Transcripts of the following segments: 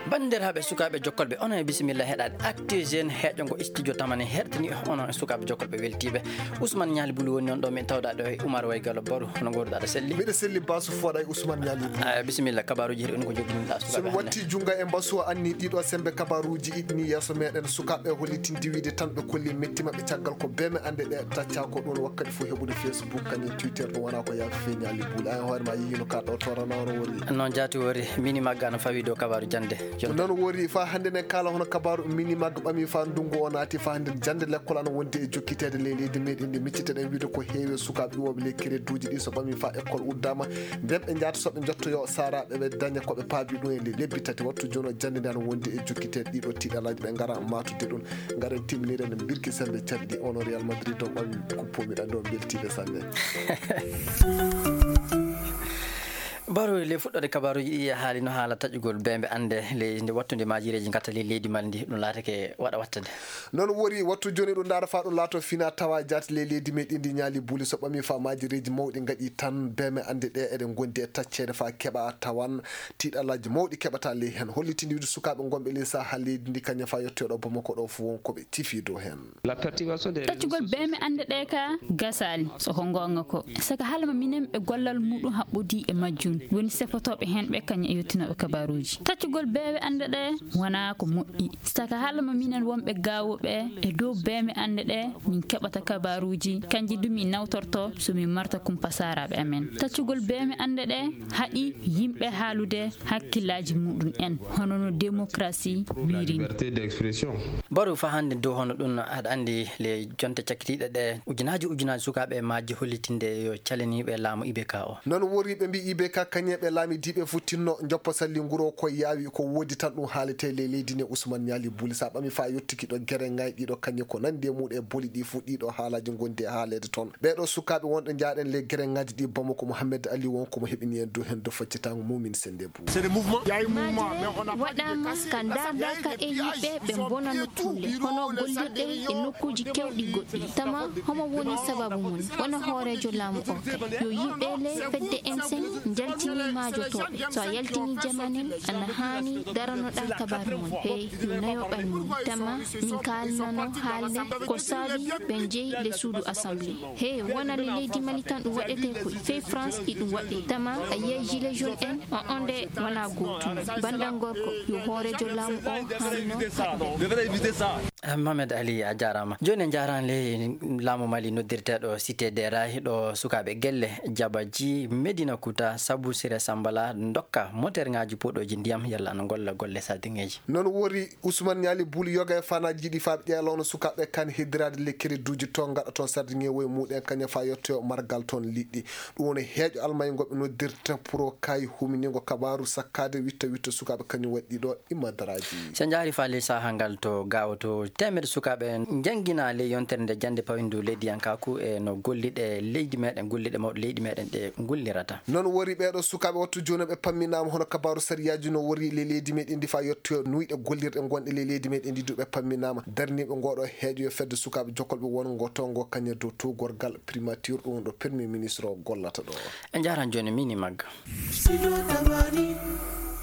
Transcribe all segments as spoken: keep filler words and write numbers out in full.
Banndiraaɓe sukaaɓe jokkolɓe, onon e bisimilla heɗaade Actu Jeune, heeƴo ngo studio tamani hertini onon e sukaaɓe jokkolɓe weltiiɓe. Ousmane Ñaali Buli woni on ɗo min tawɗaa ɗo e Oumar Waygalo Baro, no ngooruɗaa ɗo selli? Miɗo selli Basu Fooɗa e Ousmane Ñaali Buli. Ah, bisimilla, kabaaruuji hiɗo ɗum ko joginɗaa sukaaɓe. So mi hannde watti junngo e Basu, a anni ɗiɗo semmbe kabaaruuji iɗni yeeso meɗen, sukaaɓe hollitinde wiide tan ɓe kolli metti maɓɓe caggal ko beeme annde ɗe tacca ko ɗum wakkati fof heɓude Facebook kañum Twitter ɗum wona ko yaafi fe Ñaali Buli. An hoore ma yiino ka ɗo torana ono wori. Noon jaati wori, mini magga no fawi dow kabaaru jannde. Jonte. Noon wori fa hannde nen kala hono kabaaru mini magga ɓami fa ndungu o naati fa hannde jannde lekkol ana wondi e jokkiteede ley leydi meɗen ndi micciteɗen wiide ko heewi sukaaɓe iwooɓe ley kereduuji ɗi so ɓami fa école uddama. Nden ɓe njaata so ɓe njottoyo saaraaɓe ɓe daña ko ɓe paabi ɗum e ley lebbi tati wattu jono jannde nde ana wondi e jokkiteede ɗiɗo tiiɗalaaji ɓe ngara matude ɗum. Ngaren timminire no mbirki semmbe calɗi ono Real Madrid on ɓami kuppomiɗa ɗo mbeltiiɓe sanne. Baro le fuɗɗoode kabaaruuji ɗi haalino haala taƴugol beembe annde ley nde wattude maajireeji ngatta ley leydi Mali ndi ɗum laatake waɗa wattade. Noon wori wattu jooni ɗum ndaara fa ɗum laato fina tawa jaati ley leydi meɗen ndi Ñaali Buli so ɓami fa maajireeji mawɗi ngaɗi tan beeme annde ɗe eɗe ngondi e tacceede fa keɓa tawan tiiɗalaaji mawɗi keɓata ley heen hollitinde wiide sukaaɓe ngonɓe ley saha leydi ndi kañum fa yettoɗo Bamako ɗo fof won ko ɓe cifi dow heen. Taccugol beeme annde ɗe ka gasaali so ko goonga ko saka halma minen ɓe gollal muɗum haɓɓodii e majjum woni sefotooɓe heen ɓe kañum e yottinooɓe kabaaruuji. Taccugol beeme annde ɗe wonaa ko moƴƴi saka halma minen wonɓe gaawuɓe e dow beeme annde ɗe min keɓata kabaaruuji kanji du min nawtorto so min marta kumpa saaraaɓe amen. Taccugol beeme annde ɗe haɗi yimɓe haalude hakkillaaji muɗum en hono no démocratie wiirini. Baro fa hannde dow hono ɗum aɗa anndi le jonte cakkitiiɗe ɗe ujunaaji ujunaaji sukaaɓe majji hollitinde yo caliniiɓe laamu I B K o. Noon wori ɓe mbi I B K kañum ɓe laamidiiɓe fof tinno njoppa salli nguro ko yaawi ko woodi tan ɗum haalete ley leydi ne Ousmane Ñaali Buli sa ɓami fa yottiki ɗo gere ngayɗi ɗo kañum ko nandi e muɗum e boli ɗi fof ɗiɗo haalaaji ngondi e haaleede toon. Ɓeeɗo sukaaɓe wonɓe njaaɗen ley gereŋaaji ɗi Bamako Mohamed Ali won ko mo heɓini en dow heen dow faccitaango Mumin Sennde Bou. Majire waɗaama ka ndaardaaka e yimɓe ɓe mbonano tulle, hono gollirɗe e nokkuuji keewɗi goɗɗi. Tama homo woni sababu mum? Wona hooreejo laamu o kay. Yo yimɓe le fedde en sen njaltini maajotooɓe. So a yaltini jamanel, ana haani daranoɗaa kabaaru mum. Hey, yo nayo ɓalli. Tama min kaalnano haalde ko saabi ɓe njeyi le suudu assemblée. Hey, wona le leydi Mali tan ɗum waɗetee koy. Fey France ɗi ɗum waɗɗee. Tama a yiyay gilets jaunes en, on on de wona gootum. Banndal gorko, yo hooreejo laamu o haanno haɗde. Ah, Mohamed Ali, a jaaraama. Jooni en njaaraani le laamu Mali noddirteeɗo Cité des Rails ɗo sukaaɓe gelle Jabaji, Medina Kuta, Sabu Sire Sambala, ndokka moterŋaaji puɗooji ndiyam yalla ana ngolla golle sardiŋeeji. Noon wori Ousmane Ñaali Buli yoga e fanaaji ɗi faaɓi ƴeeloono sukaaɓe kan hiddiraade le kereduuji to ngaɗa to sardiŋeewoye muɗen kañum fa yettoyo margal toon liɗɗi. Ɗum woni heeƴo almaygo ɓe noddirta pour kay huminingo kabaaru sakkaade witta witta sukaaɓe kañum waɗi ɗo immadaraaji. So njaari fa ley saha ngal to gaawo to teemedde sukaaɓe njangina ley yontere nde jannde pawindu leydiyankaaku e no golliɗe leydi meɗen, golliɗe mawɗe leydi meɗen ɗe gollirata. Noon wori ɓeeɗo sukaaɓe wattu jooni ɓe pamminaama hono kabaaru sariyaaji no wori le leydi meɗen ndi fa yettoyo nuyɗe gollirɗe gonɗe le leydi meɗen ndi du ɓe pamminaama. Darniiɓe ngoɗo heeƴo yo fedde sukaaɓe jokkolɓe won ngo to ngo kañum dow to gorgal primature ɗum ɗo premier ministre o gollata ɗo. En njaran jooni mini magga.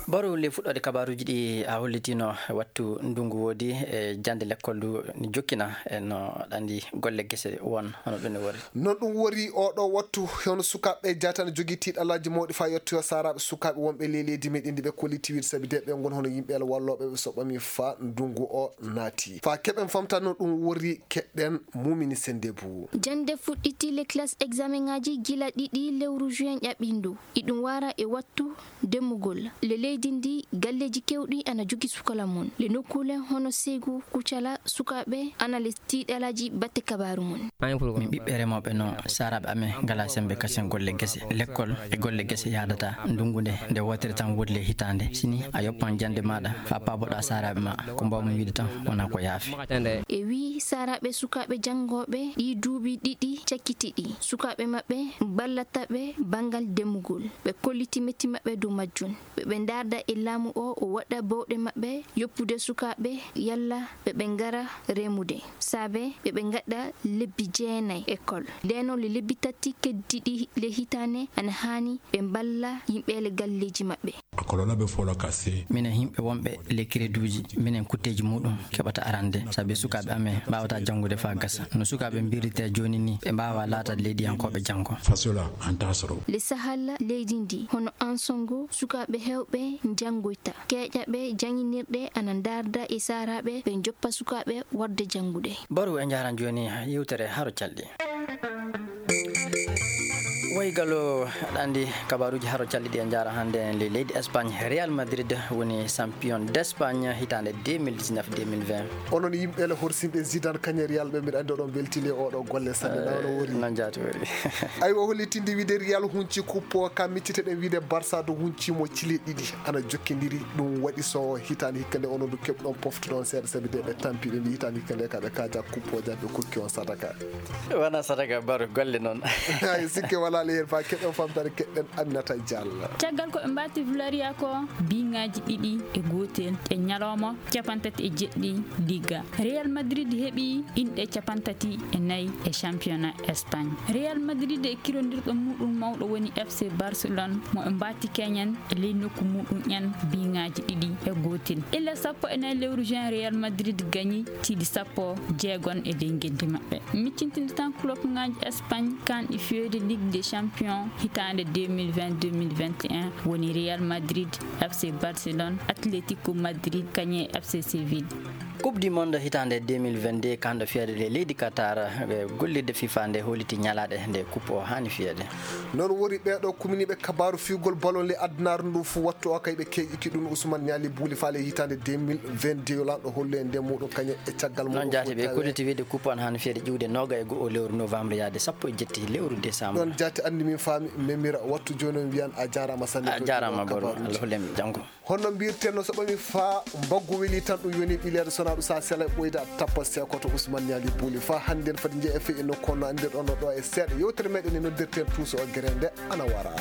Baro le fuɗɗoode kabaaruuji ɗi a hollitino wattu ndungu woodi e jannde lekkol du jokkina e no ɗandi golle gese won hono ɗum ne wori. Noon ɗum wori oɗo wattu hono sukaaɓe jaatana jogii tiiɗalaaji mawɗi fa yettoyo saaraaɓe sukaaɓe wonɓe ley leydi meɗen ndi ɓe kolliti wiide sabi de ɓe ngon hono yimɓe wallooɓe ɓe so ɓami fa ndungu o naati. Fa keɓen famta no ɗum wori keɗɗen Mumini Sennde Bou. Jannde fuɗɗiti le classe examen ŋaaji gila ɗiɗi lewru juin ƴaɓɓindu. Iɗum wara e wattu demmugol. Le leydi ndi galleeji keewɗi ana jogi sukola mum. Le nokkuule hono Segu, Kucala, sukaaɓe ana le tiiɗalaaji batte kabaaru mum. Min ɓiɓɓe remooɓe no saaraaɓe amen ngalaa semmbe kasen golle gese. Lekkol e golle gese yaadata. Ndungu nde, nde wootere tan woodi le hitaande. Sini a yoppan jannde maaɗa faa paaboɗaa saaraaɓe ma. Ko mbaawmi wiide tan wonaa ko yaafi. E wii saaraaɓe sukaaɓe janngooɓe ɗii duuɓi ɗiɗi cakkitiɗi, sukaaɓe maɓɓe ballata ɓe banngal demmugol. Ɓe kolliti metti maɓɓe dow majjum. Ɓe, ɓe ndaarda e laamu o, o waɗa bawɗe maɓɓe yoppude sukaaɓe yalla ɓe ɓe ngara remude, saabe ɓe ɓe ngaɗa lebbi jeenay école. Ndeno le lebbi tati keddiɗi le hitaane ana haani ɓe mballa yimɓe le galleeji maɓɓe. Minen yimɓe wonɓe le creduuji, minen kutteeji muɗum keɓata arande, saabe sukaaɓe amen mbaawata janngude faa gasa. No sukaaɓe mbiritee jooni ni, ɓe mbaawaa laatade leydiyankooɓe janngo. Le sahal leydi ndi, hono Ansongo, sukaaɓe heewɓe njanngoyta. Keeƴaɓe jannginirɗe ana ndaarda e saaraaɓe, ɓe njoppa sukaaɓe warde janngude. Baru, en njaaran jooni yewtere haro calɗi. Wayi galo, aɗa anndi, kabaaruuji haro calɗi ɗi en njaara hannde, le leydi Espagne, Real Madrid woni champion d'Espagne hitaande deux mille dix-neuf deux mille vingt. Onon yimɓe le horsinɓe Zidane kañe Real ɓe, mbiɗa anndi oɗon mbeltini e oɗo golle sanne, na oɗon wori. Noon jaati wori. Aywa, hollitii nde wiide Real hunci kuppo ka, micciteten wiide Barça du hunci mo cile ɗiɗi ana jokkindiri. Ɗum waɗi so hitaande hikka nde onon du keɓɗon poftoɗon seeɗa, sabi de ɓe tampi ɓe mbi hitaande hikka nde ka ɓe kaaja kuppo jabbe kokki on sadaka. Wona sadaka, Baru, golle noon. Ay, sikke wala le heen, fa keɗen famtare keɗen Aminata Diallo. Caggal ko ɓe mbaati Villarreal ko biŋaaji ɗiɗi e gootel e ñalawma capantati e jeɗɗi Liga. Real Madrid heɓi inɗe capantati e nayi e championnat Espagne. Real Madrid e kirondirɗo muɗum mawɗo woni F C Barcelone, mo ɓe mbaati keñen e ley nokku muɗum en biŋaaji ɗiɗi e gootel. Illa sappo e nayi lewru juin, Real Madrid gañi tiiɗi sappo jeegon e ley ngenndi maɓɓe. Miccintinde tan club ŋaaji Espagne kaanɗi fiyoyde Ligue des Champions hitaande deux mille vingt deux mille vingt et un woni Real Madrid, F C Barcelone, Atlético Madrid, kañe F C Séville. Coupe du monde hitaande deux mille vingt deux, kaanɗo fiyeede e leydi Qatar, e gollirde FIFA nde holliti ñalaaɗe nde coupe o haani fiyeede. Noon wori ɓeeɗo kuminiiɓe kabaaru fiyugol ballon le adunaaru ndu fuu, wattu o kay ɓe keƴƴiki ɗum. Ousmane Niali Bouli Fall e hitaande deux mille vingt deux, lanɗo hollu en nde muɗum kañe e caggal mum. Noon jaati ɓe kolliti wiide coupe o ana haani fiyeede ƴiwde nooga e go'o lewru novembre yaade sappo e jetti lewru décembre. Noon jaati, anndi min faami, memira, wattu jooni o mbiyan a jaaraama sanne. A jaaraama Baru, Allah hollen janngo. Honno mbirten no so ɓami faa mbaggu weli tan ɗum yoni ɓileede sona ɗum sa sela ɓoyda tappa sekoto Ousmane Niali Bouli fa hannde en fadi jeeya fii e nokku honno anndirɗon no ɗo e seeɗa yewtere meɗen e noddirten tuuso o gere nde ana wara.